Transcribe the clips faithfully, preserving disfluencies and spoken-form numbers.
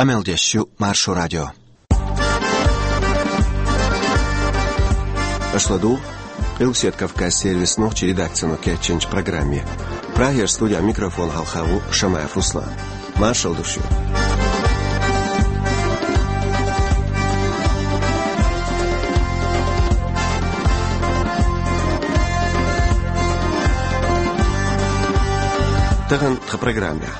Къамел деш ю Маршо радио. Аша ладугӀу Къилбаседа Кавказан сервисан нохчийн редакцино кечйинчу программе. Прагера студин микрофона хьалха ву Шамаев Руслан. Маршалла ду шуьга. Тахана тхан программехь.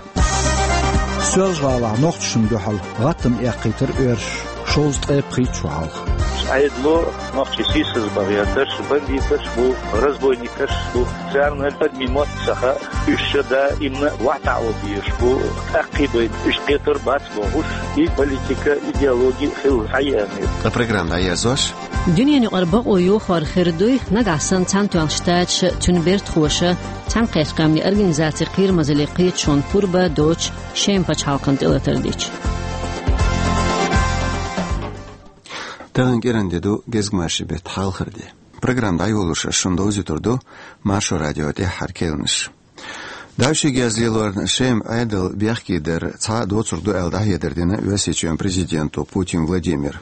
Соьлжа-ГӀалахь нохчашна дуьхьал гӀаттам эккхийтира оьрсаша шовзткъе пхийтта шо хьалха. Ӏедало нохчий сийсазбан гӀерташ, бандиташ бу, разбойникаш бу, царна адамийн мотт ца хаьа, уьш ша даимна вахьтаӀо безаш бу, тӀаккхий байна, уьш кхетар бац бохуш, и политика, идеологи хилла схьаеана. Ткъа программа дӀаерзош. Дуьненан юкъара бакъо йохор хир дуй, нагахь санна Цхьаьнатоьхначу Штаташа, цуьнан бертахоша, Цхьаьнакхеттачу Къаьмнийн Организацин Кхерамазаллин кхеташонна пурба а доцуш, Шема пачхьалкхана тӀелатар дича. Тахана кӀиранде ду, гезгмашин беттан хьалхара де. Программа дӀайолош ас шуна довзуьйтур ду Маршо радион тӀаьххьара керланаш. Дайши геза лелорна Шема Ӏедал бехке дар цхьа доцург ду аьлла дӀахьедар дина Оьрсийчоьнан президенто Путин Владимира.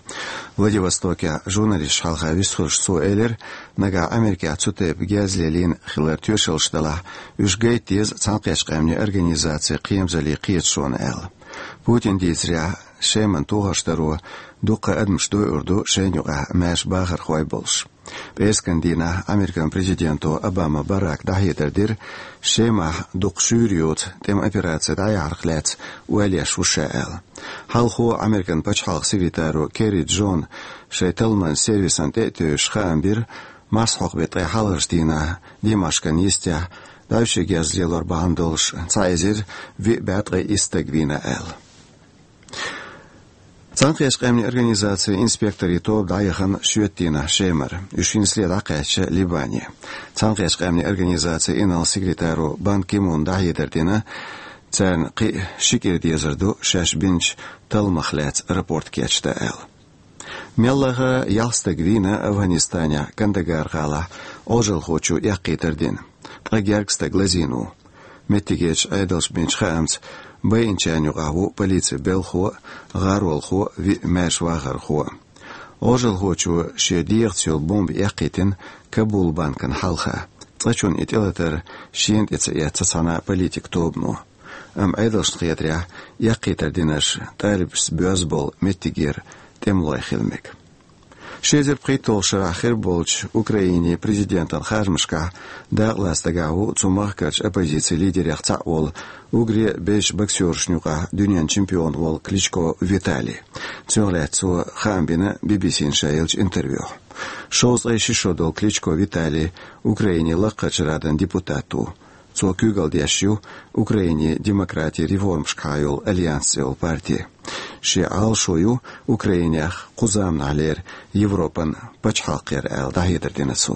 Владивостокехь журналисташна хьалха вистхуьлуш цо элира, нагахь Америкехь цу тайпа геза лелийна хилар тоьшаллаш делахь, уьш гайта деза Цхьаьнакхеттачу Къаьмнийн Организацин Кхерамазаллин кхеташонна аьлла. Путина дийцарехь, Шеман тохарш даро дуккха адамаш дойур ду шайна юкъахь маьрша бахархой болуш. ПӀераскан дийнахь Американ президенто Обама Барака дӀахьедар дира, Шемахь дукха шуьйра йоцу тӀеман операци дӀаяхьарх лаьцна ойла еш ву ша аьлла. Хьалхо Американ пачхьалкхан секретаро Керри Джона шайн талламан сервисана тӀе а тевжаш хаам бира, марсхьокху беттан ткъе хьалхарчу дийнахь Димашкан йистехь дайши геза лелор бахьана долуш цхьа эзар виъ бӀе ткъе исс стаг вийна аьлла. Цхьаьнакхеттачу Къаьмнийн Организацин инспекторийн тоба дӀаяхана шоьтан дийнахь Шемара. Уьш хӀинцале дӀакхаьчча Ливане. Цхьаьнакхеттачу Къаьмнийн Организацин инарла секретаро Бан Ки Муна дӀахьедар дина, царна кхин а ши кӀира дезар ду шаьш бинчу талламах лаьцна рапорт кечдан аьлла. Меллаха ялх стаг вийна Афганистанехь Кандагар гӀалахь Ӏожалхочо эккхийтар дина. Ткъа гергга стаг лазийна ву. Меттигерчу Ӏедалша бинчу хаамца, байинчарна юкъахь ву полицин белхахо а, гӀаролхо а, виъ маьрша вахархо а. Ӏожалхочо шен дегӀаца йолу бомба эккхийтина Кабул банкана хьалха. Цкъачунна и тӀелатар шена тӀе ца эцна цхьана а политикан тобано. Амма Ӏедалшна хетарехь, эккхийтар динарш талибашца боьзна болу меттигера тӀемалой хила мега. Ши эзар пхийтталгӀачу шарахь хир болчу Украинин президентан харжамашкахь дакъалаца дагахь ву цу махкарчу оппозицин лидерех цхьаъ волу, уггаре а безачу боксершна юкъахь дуьненан чемпион волу Кличко Виталий. Цунах лаьцна цо хаам бина Би-Би-Сина ша еллачу интервьюхь. Шовзткъе ши шо долу Кличко Виталий Украинин Лакхарчу Радан депутат ву. Цо куьйгалла деш ю Украинин демократин реформашкахьа йолу Альянс цӀе йолу парти. Шен Ӏалашо ю Украинех кху заманахьлера Европан пачхьалкх яр аьлла, дӀахьедар дина цо.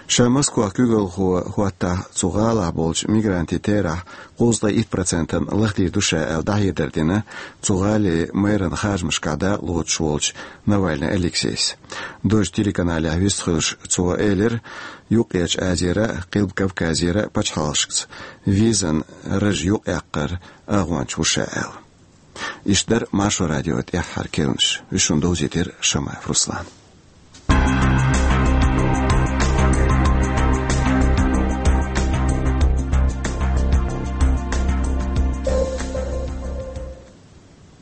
Ша Москвахь куьйгалхо хӀоттахь, цу гӀалахь болчу мигрантийн терахь кхузткъе итт процентана лахдийр ду ша аьлла, дӀахьедар дина цу гӀалин мэран харжамашкахь дакъа лоцуш волчу Навальный Алексейс. Дождь телеканалехь вистхуьлуш цо элира, Юккъерчу Азера а, Къилба Кавказера а пачхьалкхашкаца визан раж юкъаяккхар агӀонча ву ша аьлла. Иштта дара Маршо радион тӀаьххьара керланаш. Уьш шуна довзийтира Шамаев Руслана.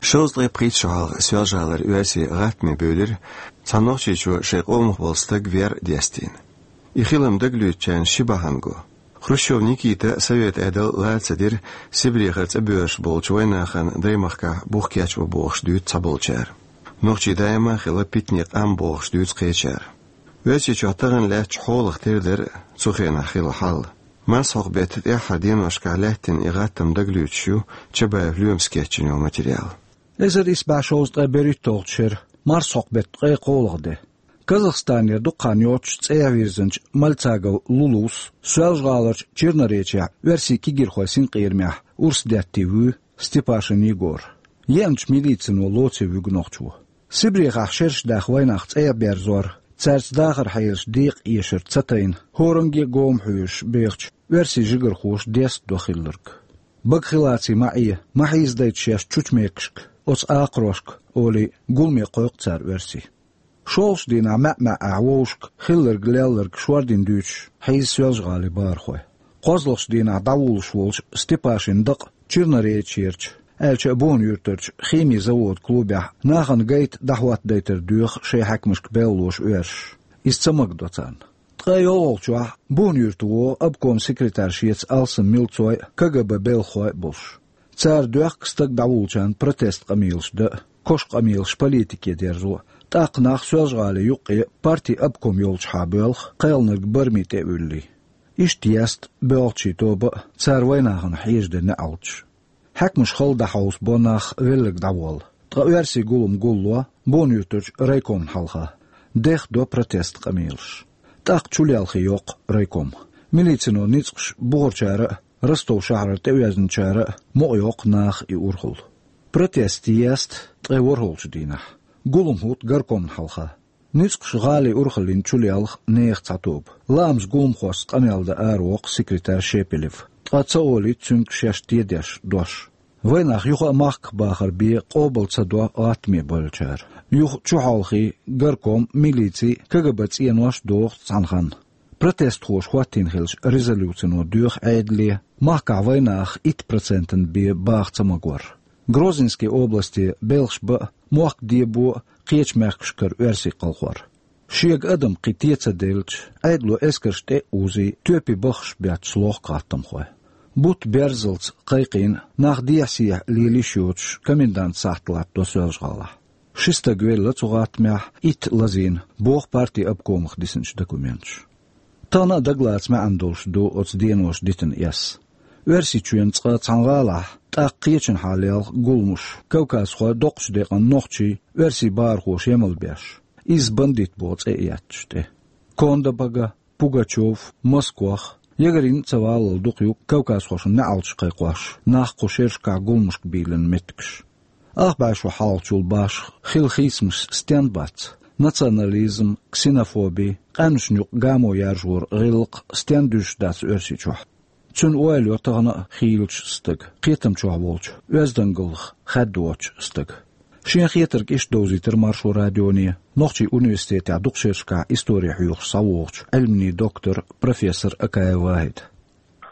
Шовзткъе пхийтта шо хьалха Соьлжа-ГӀалара оьрсийн гӀаттаме бевлира цхьа нохчичо шайн къомах болу стаг вер дестийна. И хилам дагалоьцучарна ши бахьана го. Хрущев Никита совет Ӏедал лара ца дира Сибрехара цӀа боьрзуш болчу вайнахана даймахкахь бух кечбан бохуш дуьйцу цхьаболчара. Нохчий даима а хилла питане къам бохуш дуьйцу кхечара. Оьрсийчохь тахана лаьттачу хьолах тера дара цу хенахь хилла хьал. Марсхьокху беттан тӀаьххьара деношкахь лаьттина и гӀаттам дагалоьцуш ю Чабаев Лоьмас кечйина йолу материал. Эзар исс бӀе шовзткъе берхӀитталгӀачу шеран марсхьокху беттан ткъе кхоалгӀа де. Казахстанера дукха хан йоццуш цӀехьа вирзинчу Мальцагов Лулус Соьлжа-ГӀаларчу Черноречехь оьрсийн кегирхойн синкъерамехь урс деттий вуьй Степашин Егор. Еанчу милицино лоций вуьгу нохчо. Сибрехахь шераш даха вайнах цӀехьа берзор, цаьрца дахаран хьелаш декъа эшар ца тайна, хӀоранге а гома хьоьжуш бехачу оьрсийн жигархоша деста до хилларг. Бага хилаций ма Ӏе, ма хьийзадайта шаьш чучу мекашка, Оцу акхарошка, олий, гуламе кхойкху цара оьрсий. ШолгӀачу дийнахь маьӀ-маьӀӀехь вовшашка хилларг-лелларг шордина дуьйцуш хьийза Соьлжа-ГӀалин бахархой. КхозлагӀчу дийнахь дӀавуллуш волчу Степашин дакъа Черноречьерчу, аьлча а Буна-Юьртарчу химийн заводийн клубехь нахана гайта дӀахӀоттадайтар доьху шайн хьаькамашка белхалоша оьрсаша. Иза ца магадо царна. Ткъе йолхалгӀачохь Буна-Юьрта вогӀу обкоман секретарь шеца алсам милцой а, КГБ белхахой а болуш. Цара доьхку стаг дӀавуллучарна протестан къамелаш дан а, кошан къамелаш политике дерзо а, тӀаккха нах Соьлжа-ГӀалин юккъе партин обком йолчухьа боьлху, кхелнарг барамийн тӀе а вуьллий. Иштта есту боьлхучийн тоба а, цара вайнахана хьежадан неӀалташ. Хьаькамаш хала дӀахьовсабо нах велларг дӀаволла. Ткъа оьрсийн гулам гулло Буна-Юьртарчу райкомна хьалха. Дехадо протестан къамелаш. ТӀаккха чулелхе йоккху райком. Милицино ницкъаш бухарчара а, Ростов шахьарара тӀеоьзначара а мукъайоккху наха и урхалла. Протест есту ткъе ворхӀалгӀачу дийнахь. Гулам хӀутту горкомна хьалха. Ницкъаша гӀалин урхаллина чулелха нехан цхьа тоба. Лаамца гуламхошца къамел дан аравоккху секретарь Шепелев. Ткъа ца олуьйту цуьнга шаьш тедеш дош. Вайнах юха а махках бахар бен къобал ца до гӀаттаме бевллачара. Юха чухьолхий горком, милици, КГБ цӀенош доху цхьана ханна. Протестхоша хӀоттийна хиллачу резолюцино доьху Ӏедале, махкахь вайнаха итт процентана бен баха ца магор. Грозненски областе белхаш бан а, мохк дебо а кхечу мехкашкара оьрсийн кхалхор. Шега адам кхин тӀе ца делча, Ӏедало эскарш тӀе а узий, тоьпе баххаш бетташ лохку гӀаттамхой. Бутт берзалц кхайкхийна, нах дехьа-сехьа лела йиш йоцуш, комендантан сахьт латтадо Соьлжа-ГӀалахь. Ши стаг велла цу гӀаттамехь, итт лазийна, боху партин обкомах дисинчу документаша. Тахана а дагалаца маьӀна долуш ду оцу деноша дитина эс. Оьрсийчоьнан цкъа цхьана гӀалахь, тӀаккха кхечанхьа лелха гуламаш, кавказхой, доккхачу декъана нохчий, оьрсийн бахархоша емал беш, иза бандит боху цӀе а етташ тӀе. Кондабага, Пугачёв, Москох, Ягарин а ца валлал дукха ю кавказхошна неӀалташ кхайкхош, нах кху шерашкахь гуламашка бийлина меттигаш. Ах бӀе шо хьалхачул башха хилла хийцамаш стен бац: национализм, ксенофоби, къаьмнашна юкъа гамо яржоран гӀиллакх стен дуьзуш дац Оьрсийчохь. Цуьнан ойла йо тахана а хийлачу стага, кхетам чохь волчу, оьздангаллах хаьддачу стага. Шен хетарг иштта довзийтира Маршо радионе Нохчийн университетехь дукха шерашкахь истори хьоьхуш схьавогӀучу Ӏилманийн доктор, профессор Акаев Вахьида.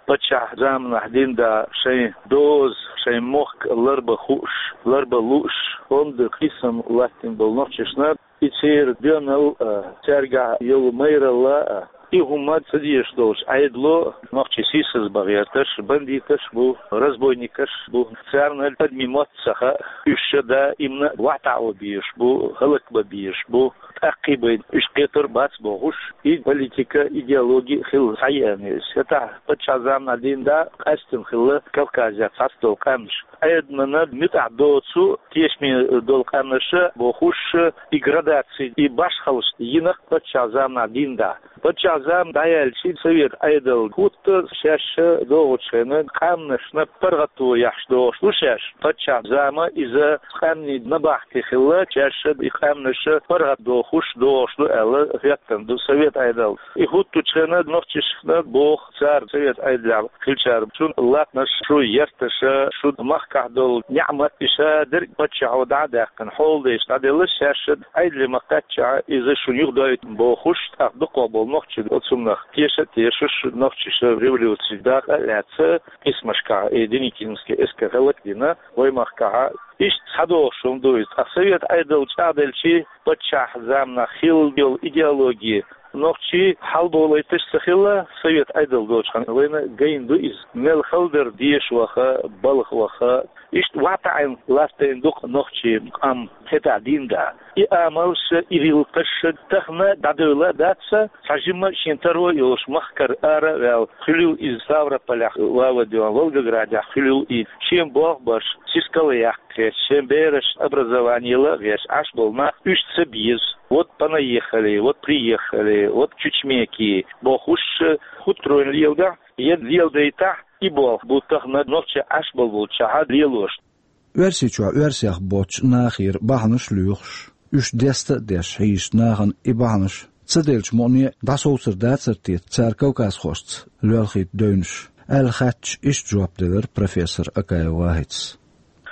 Паччахьан заманахь дина да шайн доза, шайн мохк ларбан хууш, ларбан лууш, онда кхийсам латтийна болу нохчашна, и церан доьналла а, цаьргахь йолу майралла а, и хӀума ца дезаш долчу Ӏедало нохчий сийсаз бан гӀерташ бандиташ бу, разбойникаш бу, царна адамийн мотт ца хаьа, уьш ша даимна вахьтаӀо безаш бу, хӀаллакбан безаш бу, тӀаккхийбайна уьш кхетар бац бохуш, и политика, идеологи хилла схьаеана иза. ХӀетахь паччахьан заманахь дина да къаьстина хилла Кавказехь цхьацца долу къаьмнаш. Ӏедамна муьтӀахь доцу тешаме долу къаьмнаша бохуш, и градаци, и башхаллаш йина паччахьан заманахь дина да. Паччахьан зама дӀаяьлча, совет Ӏедал хӀутту, шаьш догӀучу хенан къаьмнашна паргӀато еш догӀуш ду шаьш. Паччахьан зама иза къаьмнийн набахти хилла, шаьш и къаьмнаш паргӀат дохуш догӀуш ду аьлла хӀоьттина ду совет Ӏедал. И хӀуттучу хенан нохчашна боху цара совет Ӏедалехь хиллачара: шун латанаш, шун ярташ, шун махкахь долу неӀмат, и ша дерг паччахьо дӀа а даьккхина, хьолдайша дӀаделла, шаьш Ӏедале ма-кхаьччехь, иза шуна юхадойту бохуш, тӀаккха дукхах болу нохчий оцунах теша а тешаш, нохчаша революци дакъа а лаьцна, кхисамашкахь и Деникинский эскар хӀаллакдина вай махкахь. Иштта схьадогӀуш хӀума ду иза. Ткъа совет Ӏедал чӀагӀделчи, паччахьан заманахь хилла йолу идеологи нохчий хьалаболуьйтуш ца хилла, совет Ӏедал долчу хенахь вайна гайна ду иза. Мел хала дара деша ваха, балха ваха. Иштта вахьтаӀийна латтийна ду-кх нохчийн къам хӀетахь дина да. И амалш, и гӀиллакхаш тахана дӀадевлла а дац, цхьа жимма а шен таро а йолуш махкара ара а ваьлла, хуьлийла иза Ставрополехь, Вавадон, Волгоградехь хуьлийла и, шен болх беш, сискал а яккха гӀерташ, шен берашна образовани яла а гӀерташ Ӏаш болу нах уьш ца беза. Вот понаехали, вот приехали, вот чучмеки бохуш, хӀуттур вайна леладахь, я леладайтахь, и болх бу тахана нохчий Ӏаш болу болчохь лелош. Оьрсийчохь оьрсех боцчу нахера бахьанаш а лоьхуш, уьш деста а деш хьийзачу нахана и бахьанаш ца делча мукъане а дӀасовцар дацара те цара кавказхошца лоьлхийта девнаш, аьлла хаьттича, иштта жоп делира профессор Акаев Вахьида.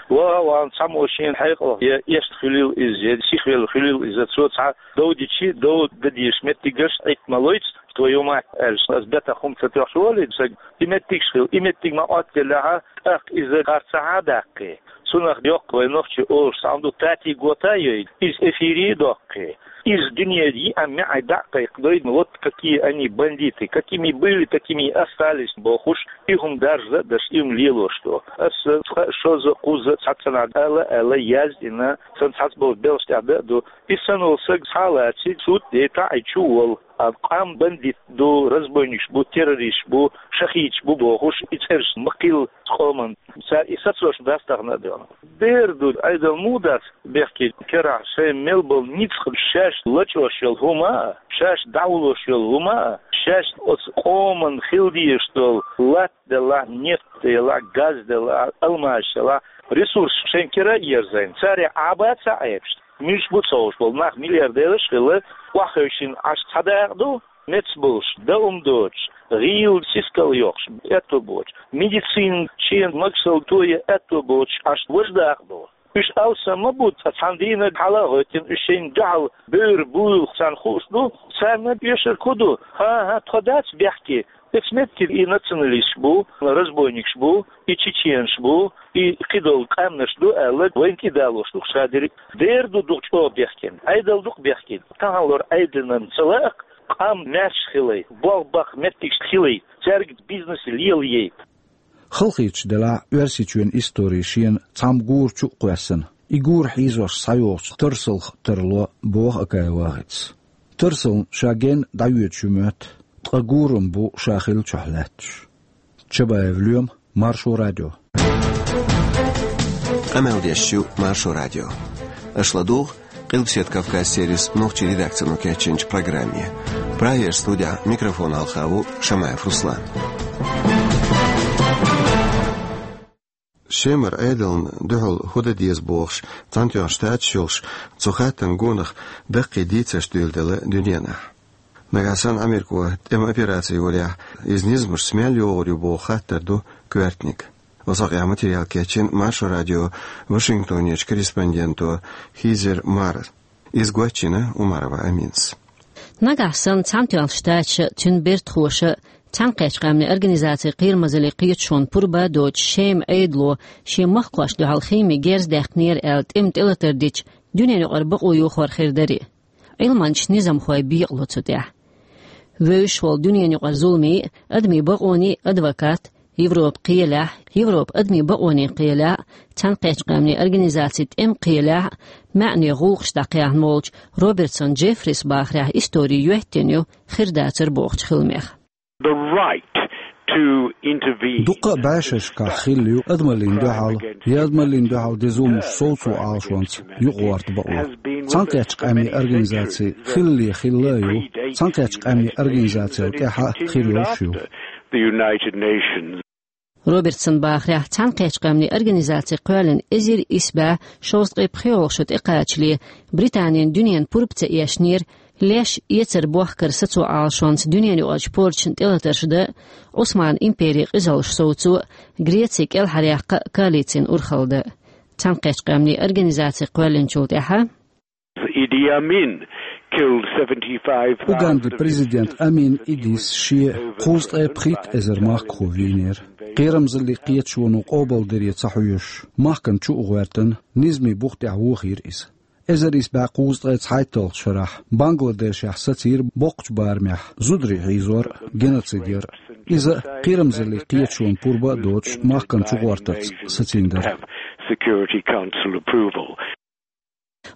Ва, ван цхьаммо шен хьекъалах я эшта хуьлийла иза, я сихвелла хуьлийла иза, цо цхьа дов дичи, дов дадеш меттигаш Ӏитта ма лойца, твою мать, аьлча, ас бетах хӀума ца тоьхча волий, саг, и меттигаш хила, и меттиг ма Ӏоттаделлехьа, тӀаккха иза харцахьа а даккхий. Цунах йоккха вай нохчий олуш цхьа хӀума ду, тати гота а йой, иза эфире а доккхий. Иза дуьне йиъа-миъа дӀа а кхайкхадой, вот какие они бандиты, какими были, такими и остались, бохуш, и хӀума даржа а даш, и хӀума лелош ду. Аса цкъа а, шозза а, кхузза а цхьаццанхьа ала а аьлла, яздина, сан цхьацца болу белш тӀехь дан а ду. И санна волу саг схьа а лаций, суд а дей, таӀийча а волу. А къам бандит ду, разбойникаш бу, террористаш бу, шахидаш бу бохуш, и цӀераш ма кхилла къоман. Цара и сацош дац тахана а дуьхьал. Дера ду, Ӏедал муха дац бехке, керахь шайн мел болу ницкъ шаьш лачкъош йолу хӀума а, шаьш дӀавуллуш йолу хӀума а, шаьш оцу къоман хила дезаш долу латта делахь, нефть делахь, газ делахь, алмазаш делахь, ресурс шайн кира а ерзийна, царех Ӏаба ца Ӏебаш. Муьлш бу ца хууш болу нах, миллиардераш а хилла, охьахевшина Ӏаш цхьа дакъа ду, меца болуш, дан хӀума доцуш, гӀийла сискал йоккхуш, аьтто боцуш, медицина шена магашалла тоя аьтто боцуш Ӏаш важа дакъа ду. Уьш алсам ма бу, цкъа цхьана дийнахь хьала а гӀоьттина, уьш шайна дуьхьал бевр буйла царна хууш ду, царна оьшург хӀун ду? ХӀан-хӀа, тхо дац бехке, Эцу меттиг и националисташ бу, разбойникаш бу, и чеченаш бу, и кхидолу къаьмнаш ду аьлла, вайна кӀидалош ду ша дерриг. Дера ду дукха чӀогӀа бехкина, Ӏедал дукха бехкина. Тахьаллора Ӏедалан ца лаахь, къам маьрша хилай, болх баккха меттигаш хилай, цаьрга бизнес лелаяй. Халахеташ делахь, Оьрсийчоьнан истори шена цхьамма гора чу а кхоьссина, и гора хьийзош схьайогӀучу тарсалх тарло, боху Акаев ВахӀитас. Тарсална ша генна дӀайоьдуш ю моьтту, ткъа гурам бу ша хиллачохь лаьтташ. Чабаев Лоьма, Маршо радио. Къамел деш ю Маршо радио. Аша ладугӀу Къилбаседа Кавказ сервисан нохчийн редакцино кечйинчу программе. Прагерчу студехь микрофон хьалха ву Шамаев Руслан. Шемара Ӏедална дуьхьал хӀун дан деза бохуш, Цхьаьнатоьхначу Штаташ йолуш цу хаттарна гонах даккхий дийцарш дуьйладелла дуьненахь. Нагахь санна Ӏамерко тӀеман операци йолехь, иза низамашца мел йогӀур ю боху хаттар ду коьртаниг. Оцу хьокъехь материал кечйина Маршо радион Вашингтонерчу корреспонденто Хизер Марас. Иза гочйина Умарова Аминас. Нагахь санна Цхьаьнатоьхначу Штаташа, цуьнан бертахоша, Цхьаьнакхеттачу Къаьмнийн Организацин Кхерамазаллин Кхеташонан пурба а доцуш, Шеман Ӏедало шен махкошна дуьхьал химийн герз даьккхинера аьлла тӀеман тӀелатар дича, дуьненаюкъара бакъо йохор хир дарий. Ӏилманчаш, низамхой бекъало цу тӀехь. Вевзаш волу дуьненаюкъара зуламийн а, адамийн бакъонийн а адвокат, Европан кхелехь, Европан адамийн бакъонийн кхелехь а, Цхьаьнакхеттачу Къаьмнийн Организацин тӀеман кхелехь а маьӀне гӀуллакхаш дӀакхехьна волчу Робертсон Джеффрис бахарехь, истори йоьттина ю хир дацар бохучу хиламех. The right to intervene. Дуккха а бӀешерашкахь хилла ю адамаллина дуьхьал я адамаллина дуьхьал деза зуламаш совцо Ӏалашонца юкъагӀорта бакъо. Цхьаьнакхеттачу Къаьмнийн Организаци хилале хилла а ю, Цхьаьнакхеттачу Къаьмнийн Организацел тӀаьхьа а хир йолуш ю. The United Nations. Робертсон бахарехь, Цхьаьнакхеттачу Къаьмнийн Организаци кхоьллина эзар исс бӀе шовзткъе пхоьалгӀа шо тӀекхачале, Британина дуьненан пурба ца эшнера леш эцар бохкар сацо Ӏалашонца дуьненаюкъарчу порчашна тӀелатарш дан, Ӏусманан империн къизаллаш совцо, Греци кӀелхьаръяккха коалицина урхалла дан. Цхьаьнакхеттачу Къаьмнийн Организаци кхоьллинчул тӀаьхьа Idi Amin killed seventy-five thousand of his Угандан президент Амин Идис шен кхузткъе пхийтта эзар махкахо вийнера. Кхерамазаллин Кхеташоно къобалдаре ца хьоьжуш, махкана чу а гӀоьртина, низамийн бух тӀехь вохийра иза. Эзар исс бӀе кхузткъе цхьайтталгӀачу шарахь Бангладешехь сацийра боккхачу барамехь зударий хьийзор а, геноцид яр а. Иза Кхерамазаллин Кхеташонан пурба а доцуш, махкана чугӀортарца сацийна дара. Security Council approval.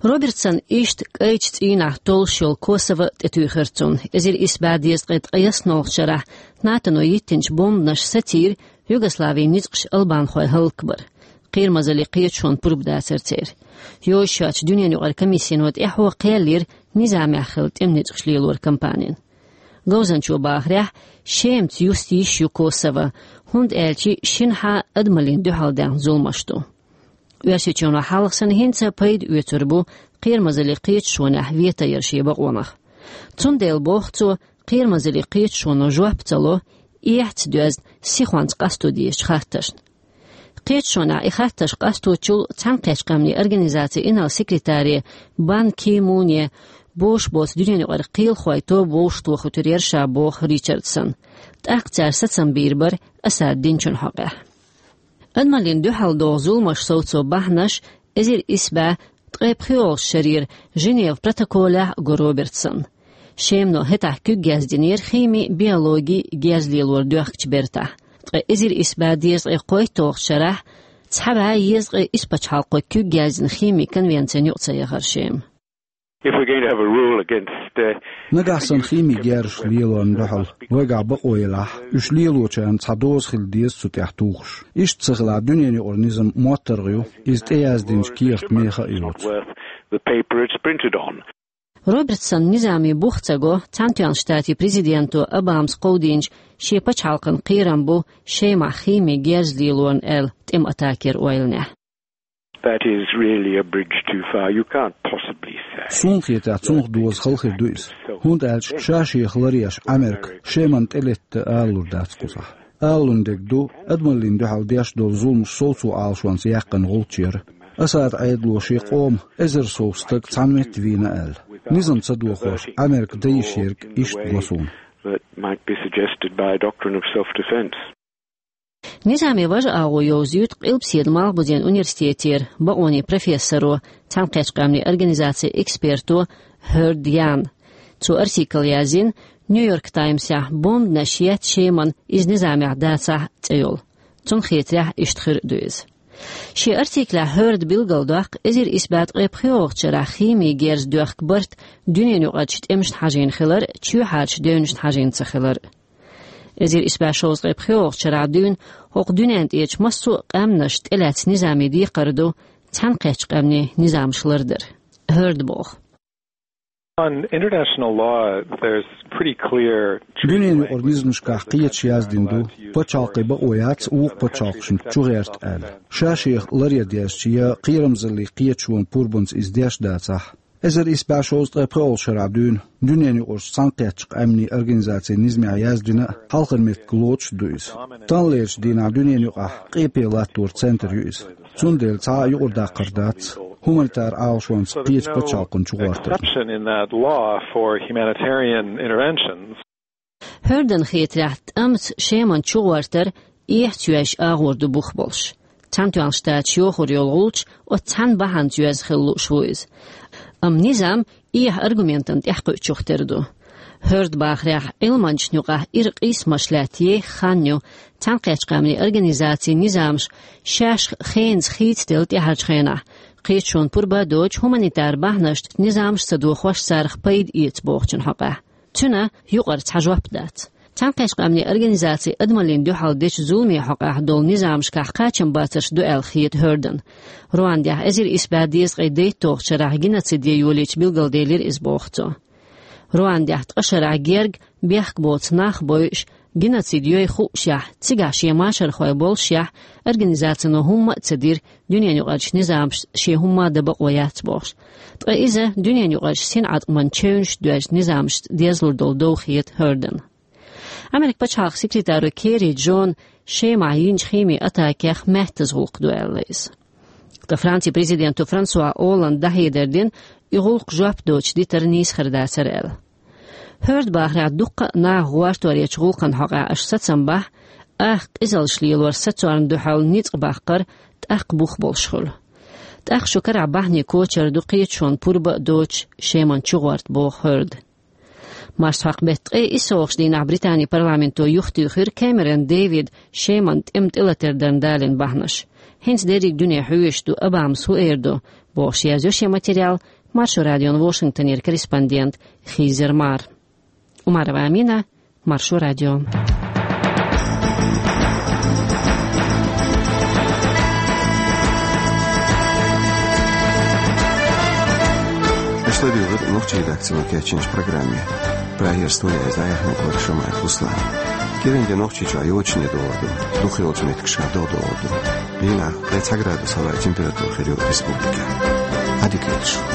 Робертсон иштта кӀайчу цӀийнахь толлуш йолу Косово тӀетуьйхира цунна. Эзар исс бӀе дезткъе ткъайоьсналгӀачу шарахь НАТОно йиттинчу бомбанаша сацийра Югославин ницкъаш албанхой хӀаллакбар. Кхерамазаллин Кхеташонан пурба дацара церан. Йозуш йоцчу дуьненаюкъарчу комиссино тӀаьхьо кхел йира низамехь хилла тӀеман ницкъаш лелоран кампанина. Говзанчо бахарехь, Шемаца юста йиш ю Косово, хӀунда аьлча шинхьа адамаллина дуьхьал даьхна зуламаш ду. Оьрсийчоьно хьалха санна хӀинца а пайда оьцур бу Кхерамазаллин Кхеташонехь вето яр шен бакъонах. Цундела, боху цо, Кхерамазаллин Кхеташоно жоп ца ло эхь ца доьзна сихонца къасто дезачу хаттаршна. Кхеташонехь и хаттарш къасточул Цхьаьнакхеттачу къаьмнийн организацин инарла секретаре Бан Ки Муне бовш боцу дуьненаюкъара кхелахойн тоба вовшахтохуьйтур яра ша, боху Ричардсона. ТӀаккха цара сацам бийр бара Асад динчун хьокъехь. Адамаллина дуьхьал догӀу зуламаш совцо бахьанаш эзар исс бӀе ткъе пхоьалгӀачу шарера Женеван протоколехь а го Робертсона. Шемано хӀетахь куьг яздинера хими, биологи герз лелор доьхкучу бертахь. Ткъа эзар исс бӀе дезткъе кхойтталгӀачу шарахь цхьа бӀе езткъе исс пачхьалкхо куьг яздина хими конвенцина юкъа ца яхара Шема. If we're going to have a rule against, uh, Нагахь санна хими герзаш лелорна дуьхьал вайгахь бакъо елахь, уьш лелочарна цхьа доза хила деза цу тӀехь тухуш. Иштта ца хилахь, дуьненаюкъара низам моттаргӀа ю, иза тӀеяздинчу кехат меха а йоцу. Worth the paper it's printed on. Робертсона низаман бух ца го Цхьаьнатоьхначу Штатийн президенто Обамас кховдийначу шен пачхьалкхан кхерам бу Шемахь хими герз лелорна аьлла тӀеман атакера ойланехь. That is really a bridge too far. You can't possibly say. Суна хетахь, цунах доза хала хир ду иза. ХӀунда аьлча ша-шех ларъеш Ӏамерка Шемана тӀелетта алалур дац кхузахь. Алалун дерг ду, адамаллина дуьхьал деш долу зуламаш совцо Ӏалашонца яьккхина гӀулч яра. Асадан Ӏедало шен къоман эзар сов стаг цхьана метта вийна аьлла. Низам ца дохош, Ӏамерка дан йиш ерг иштта го суна. That might be suggested by a doctrine of self-defense. Низаман важа агӀо йовзуьйту Къилбаседа Малхбузен университетера бакъонийн профессоро, Цхьаьнакхеттачу къаьмнийн организацин эксперто Хьорд Яна. Цо артикл яздина Нью-Йорк Таймсехь «Бомбанаш етта Шемана, иза низамехь дацахь» цӀе йолу. Цунна хетарехь, иштта хир а ду иза. Шен артиклехь Хьорда билгалдоккху эзар исс бӀе ткъе пхоьалгӀачу шарахь хими герз доьхку барт дуьненаюкъарчу тӀемашна хьажийна хилар, чоьхьарчу девнашна хьажийна ца хилар. Эзар исс бӀе шовзткъе пхоьалгӀачу шарахь дуьйна хӀокху дуьнен тӀерачу массо а къаьмнаш тӀелаьцна низаман декхар ду Цхьаьнакхеттачу къаьмнийн низамаш лардар. Хьорда боху. On international law, there's pretty clear treaty Дуьненаюкъара language низамашкахь кхеташ яздина ду, пачхьалкхе бакъо яц вукху пачхьалкхашна чугӀерта аьлла. Ша-шех ларъян дезча я кхерамзаллин кхеташонан пурбанца иза деш дацахь. Эзар исс бӀе шовзткъе пхоьалгӀачу шарахь дуьйна дуьненаюкъарчу Цхьаьнакхеттачу къаьмнийн организацин низамехь яздина хьалхара меттиг лоцуш ду иза. Таханлерчу дийнахь дуьненаюкъахь къепе латтор центр ю иза. Цундела цхьа а юкъара даккхар дац хуманитар Ӏалашонца кхечу пачхьалкхана чугӀортарна. Exception in that law for humanitarian interventions. Хьордан хетарехь, тӀамца Шемана чугӀортар эхь ца йоьжча агӀор ду бух болуш. Цхьаьнатоьхначу Штаташа йохор йолу гӀулч оцу цхьана бахьанца йоьзна хила лууш ву иза. Амма низам эхь аргументана тӀаьхьакхуьучух тера ду. Хьорда бахарехь, Ӏилманчашна юкъахь ира къийсамаш лаьтта еха хан ю Цхьаьнакхеттачу къаьмнийн организацин низамаш шаьш хенца хийцаделла тӀаьхьарчу хенахь, кхеташонан пурба а доцуш, хуманитар бахьанашца низамаш ца дохош царах пайда эца бохучун хьокъехь. Цуьнан юкъара цхьа жоп дац. Цхьаьнакхеттачу къаьмнийн организацин адамаллина дуьхьал дечу зуламийн хьокъехь долу низамашкахь кхачамбацарш ду аьлла хета Хьордан. Руандехь эзар исс бӀе дезткъе дейтталгӀачу шарахь геноцид ян йолийча билгалделира иза, боху цо. Руандехь ткъа шарахь герга бехк боцу нах бойуш, геноцид йой хуушехь, цигахь шен машархой болушехь, организацино хӀумма а ца дира, дуьненаюкъарчу низамашца шен хӀумма а дан бакъо яц бохуш. Ткъа иза дуьненаюкъарчу синӀаткъаман чевнаш доьжна низамашца дезлур долу дов хета Хьордан. Америкин пачхьалкхан секретаро Керри Джона Шемахь йинчу хими атакех маьттаза гӀуллакх ду аьлла иза. Ткъа Францин президенто Франсуа Олланда дӀахьедар дина, и гӀуллакх жоп доцуш дитар нийса хир дацара аьлла. Хьорда бахарехь, дуккха а наха гӀортор ечу гӀуллакхан хьокъехь аша сацам бахь, ах къизаллаш лелор сацорна дуьхьал ницкъ баккхар тӀаккха бух болуш хуьлу. ТӀаккха шун карахь бахьане кочар ду кхеташонан пурба а доцуш Шемана чугӀорта, боху Хьорда. Марсхьокху беттан ткъе иссалгӀачу дийнахь Британин парламенто юхатуьйхира Кэмерон Дэвида Шемана тӀеман тӀелатар дарна далийна бахьанаш. ХӀинца дерриг дуьне хьоьжуш ду, Обамас хӀун эр ду, бохуш язйо шен материал Маршо радион Вашингтонера корреспондент Хизер Мар. Умарова Амина, Маршо радио. Аша ладуьйгӀира нохчийн редакцино кечйинчу программе. Прагера студехь дӀаяьхьнарг вара Шамаев Руслан. КӀиранде Нохчийчохь йочане догӀур ду, дукхахйолчу меттигашкахь догӀа догӀур ду. Дийнахь ткъе цхьа градус хӀаваъ температура хир ю республикехь. Ӏадика йойла шун.